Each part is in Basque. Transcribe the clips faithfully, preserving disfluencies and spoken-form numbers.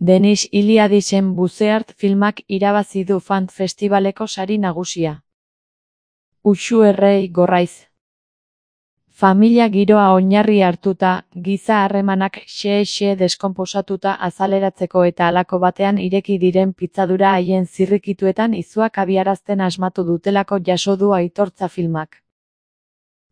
Denis Iliadisen Buceart filmak irabazi du Fant Festivaleko sari nagusia. Uxu Errei Gorraiz. Familia giroa oinarri hartuta, giza harremanak xe-xe deskonposatuta azaleratzeko eta halako batean ireki diren pitzadura haien zirrikituetan izuak abiarazten asmatu dutelako jaso du aitortza filmak.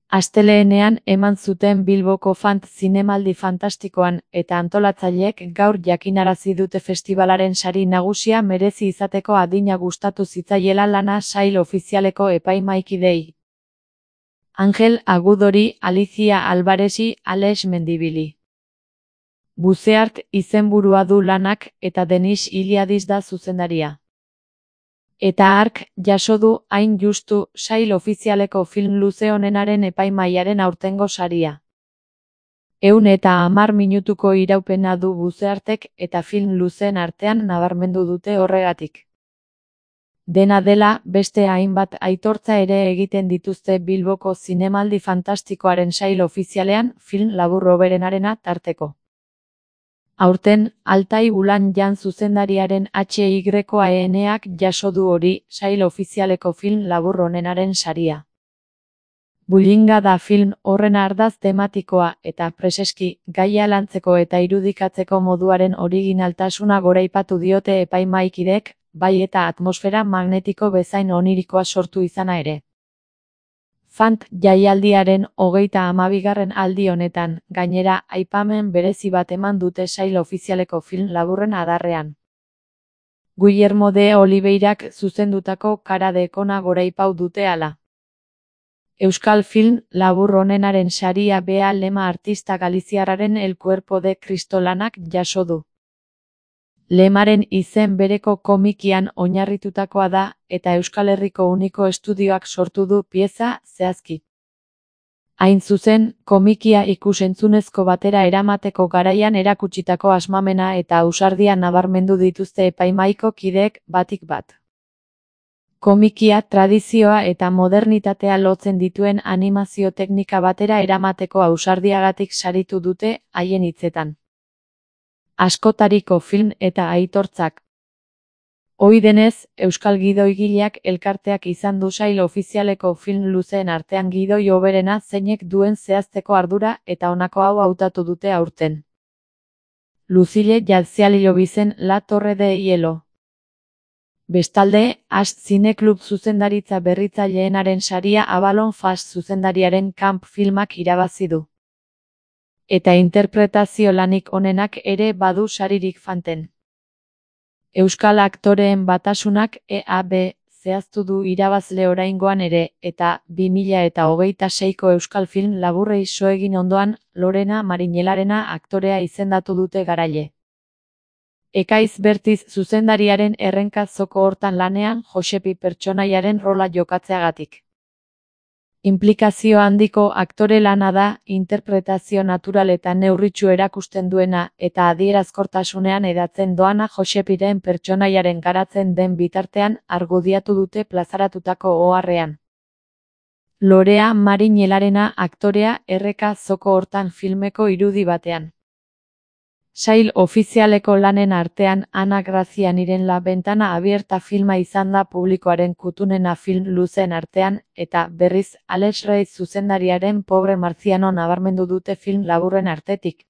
Astelehenean eman zuten Bilboko Fant zinemaldi fantastikoan eta antolatzaileek gaur jakinarazi dute festibalaren sari nagusia merezi izateko adina gustatu zitzaiela lana sail ofizialeko epaimahaikideei. Angel Agudori, Alicia Alvarezi, Alex Mendibili. Buceart izenburua du lanak eta Denis Iliadis da zuzendaria. Eta hark jaso du hain justu sail ofizialeko film luze honenaren epaimahaiaren aurtengo saria. Ehun eta hamar minutuko iraupena du Buceartek eta film luzeen artean nabarmendu dute horregatik. Dena dela, beste hainbat aitortza ere egiten dituzte Bilboko zinemaldi fantastikoaren sail ofizialean film labur hoberenarena tarteko. Aurten, Altai Ulan Jan zuzendariaren H Y A N-ak jaso du hori sail ofizialeko film labur honenaren saria. Bullinga da film horren ardaz tematikoa eta preseski gaia lantzeko eta irudikatzeko moduaren originaltasuna goraipatu diote epaimahaikideek, bai eta atmosfera magnetiko bezain onirikoa sortu izana ere. Fant jaialdiaren hogeita hamabigarren aldi honetan, gainera, aipamen berezi bat eman dute sail ofizialeko film laburren adarrean. Guillermo de Oliveirak zuzendutako Cara de Kona goraipau dute hala. Euskal film labur honenaren saria bea lema artista galiziarraren El Cuerpo de Cristo lanak jaso du. Lemaren izen bereko komikian oinarritutakoa da, eta Euskal Herriko Uniko Estudioak sortu du pieza zehazki. Hain zuzen, komikia ikus-entzunezko batera eramateko garaian erakutsitako asmamena eta ausardia nabarmendu dituzte epaimahaiko kideek batik bat. Komikia tradizioa eta modernitatea lotzen dituen animazio teknika batera eramateko ausardiagatik saritu dute haien hitzetan. Askotariko film eta aitortzak. Ohi denez, Euskal Gidoigileak elkarteak izan du sail ofizialeko film luzeen artean gidoi hoberena zeinek duen zehazteko ardura eta honako hau hautatu dute aurten. Lucille Jatzialilobizen La Torre de Hielo. Bestalde, As Zineklub zuzendaritza berritzaileenaren saria Avalon Fast zuzendariaren Camp filmak irabazi du. Eta interpretazio lanik onenak ere badu saririk Fanten. Euskal Aktoreen Batasunak E A B zehaztu du irabazle oraingoan ere, eta bi mila eta hogeita seiko Euskal Film laburrei so egin ondoan, Lorena Mariñelarena aktorea izendatu dute garaile. Ekaiz Bertiz zuzendariaren errenka zoko hortan lanean Josepi pertsonaiaren rola jokatzeagatik. Inplikazio handiko aktore lana da, interpretazio natural eta neurritsu erakusten duena eta adierazkortasunean hedatzen doana Josepiren pertsonaiaren garatzen den bitartean argudiatu dute plazaratutako oharrean. Lorea Mariñelarena aktorea erreka zoko hortan filmeko irudi batean. Sail ofizialeko lanen artean Ana Grazianiren La Ventana Abierta filma izan da publikoaren kutunena film luzeen artean, eta berriz Alex Reis zuzendariaren Pobre Marziano nabarmendu dute film laburren artetik.